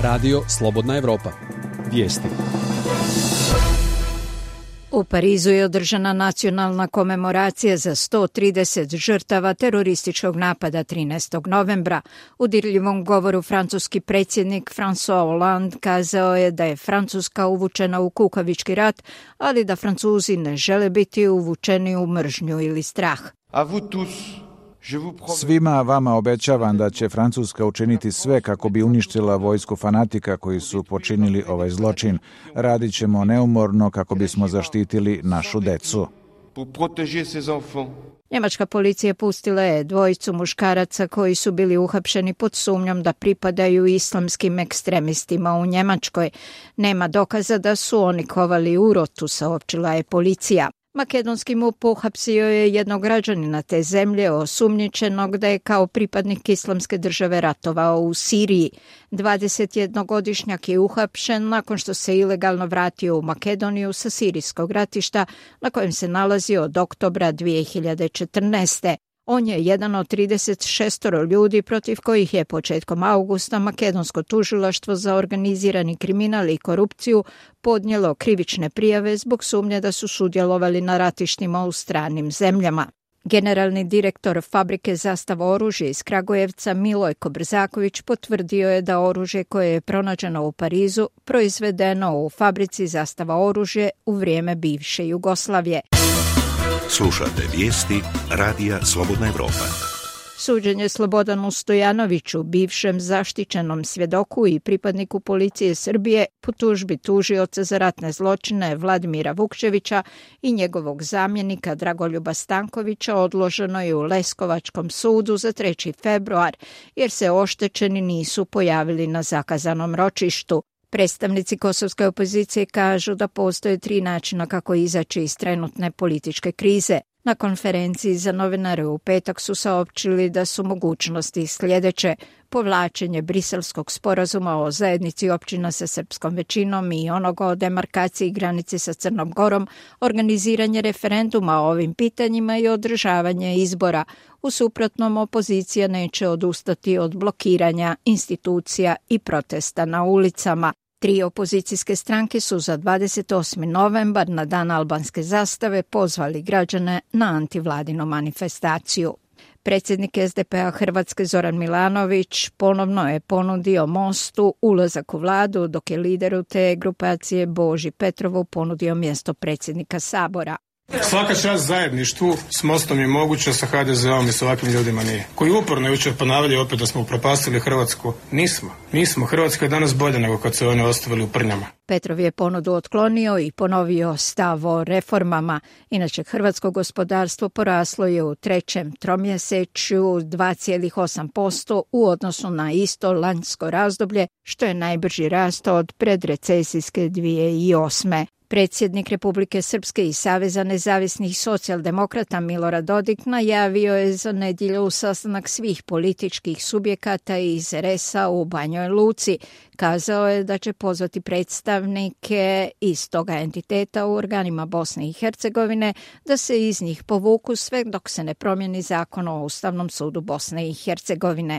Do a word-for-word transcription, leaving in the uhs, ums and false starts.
Radio Slobodna Evropa. Vijesti. U Parizu je održana nacionalna komemoracija za sto trideset žrtava terorističkog napada trinaestog novembra. U dirljivom govoru francuski predsjednik François Hollande kazao je da je Francuska uvučena u kukavički rat, ali da Francuzi ne žele biti uvučeni u mržnju ili strah. Svima vama obećavam da će Francuska učiniti sve kako bi uništila vojsku fanatika koji su počinili ovaj zločin. Radit ćemo neumorno kako bismo zaštitili našu decu. Njemačka policija pustila je dvojicu muškaraca koji su bili uhapšeni pod sumnjom da pripadaju islamskim ekstremistima u Njemačkoj. Nema dokaza da su oni kovali urotu, saopćila je policija. Makedonski MUP uhapsio je jednog građanina te zemlje osumnjičenog da je kao pripadnik islamske države ratovao u Siriji. dvadesetjednogodišnjak je uhapšen nakon što se ilegalno vratio u Makedoniju sa sirijskog ratišta na kojem se nalazi od oktobra dvije hiljade četrnaeste. On je jedan od trideset šest ljudi protiv kojih je početkom augusta makedonsko tužilaštvo za organizirani kriminal i korupciju podnijelo krivične prijave zbog sumnje da su sudjelovali na ratištima u stranim zemljama. Generalni direktor fabrike Zastava oružje iz Kragujevca Milojko Brzaković potvrdio je da oružje koje je pronađeno u Parizu proizvedeno u fabrici Zastava oružje u vrijeme bivše Jugoslavije. Slušate vijesti Radija Slobodna Evropa. Suđenje Slobodanu Stojanoviću, bivšem zaštićenom svjedoku i pripadniku policije Srbije, po tužbi tužioca za ratne zločine Vladimira Vukčevića i njegovog zamjenika Dragoljuba Stankovića odloženo je u Leskovačkom sudu za treći februar, jer se oštećeni nisu pojavili na zakazanom ročištu. Predstavnici kosovske opozicije kažu da postoje tri načina kako izaći iz trenutne političke krize. Na konferenciji za novinare u petak su saopćili da su mogućnosti sljedeće: povlačenje Briselskog sporazuma o zajednici općina sa srpskom većinom i onoga o demarkaciji granice sa Crnom Gorom, organiziranje referenduma o ovim pitanjima i održavanje izbora. U suprotnom, opozicija neće odustati od blokiranja institucija i protesta na ulicama. Tri opozicijske stranke su za dvadeset osmi novembar, na dan albanske zastave, pozvali građane na antivladinu manifestaciju. Predsjednik es de pe a Hrvatske Zoran Milanović ponovno je ponudio Mostu ulazak u vladu, dok je lideru te grupacije Boži Petrovu ponudio mjesto predsjednika Sabora. Svaka čast zajedništvu s Mostom je moguća, sa ha de zeom i s ovakvim ljudima nije. Koji uporno jučer ponavljaju opet da smo upropastili Hrvatsku. Nismo. Nismo. Hrvatska je danas bolja nego kad su one ostavili u prnjama. Petrov je ponudu otklonio i ponovio stav o reformama. Inače, hrvatsko gospodarstvo poraslo je u trećem tromjesečju dva zarez osam posto u odnosu na isto lanjsko razdoblje, što je najbrži rast od predrecesijske dvije hiljade osme. Predsjednik Republike Srpske i Saveza nezavisnih socijaldemokrata Milorad Dodik najavio je za nedjelju sastanak svih političkih subjekata iz er es a u Banjoj Luci. Kazao je da će pozvati predstavnike iz toga entiteta u organima Bosne i Hercegovine da se iz njih povuku sve dok se ne promijeni zakon o Ustavnom sudu Bosne i Hercegovine.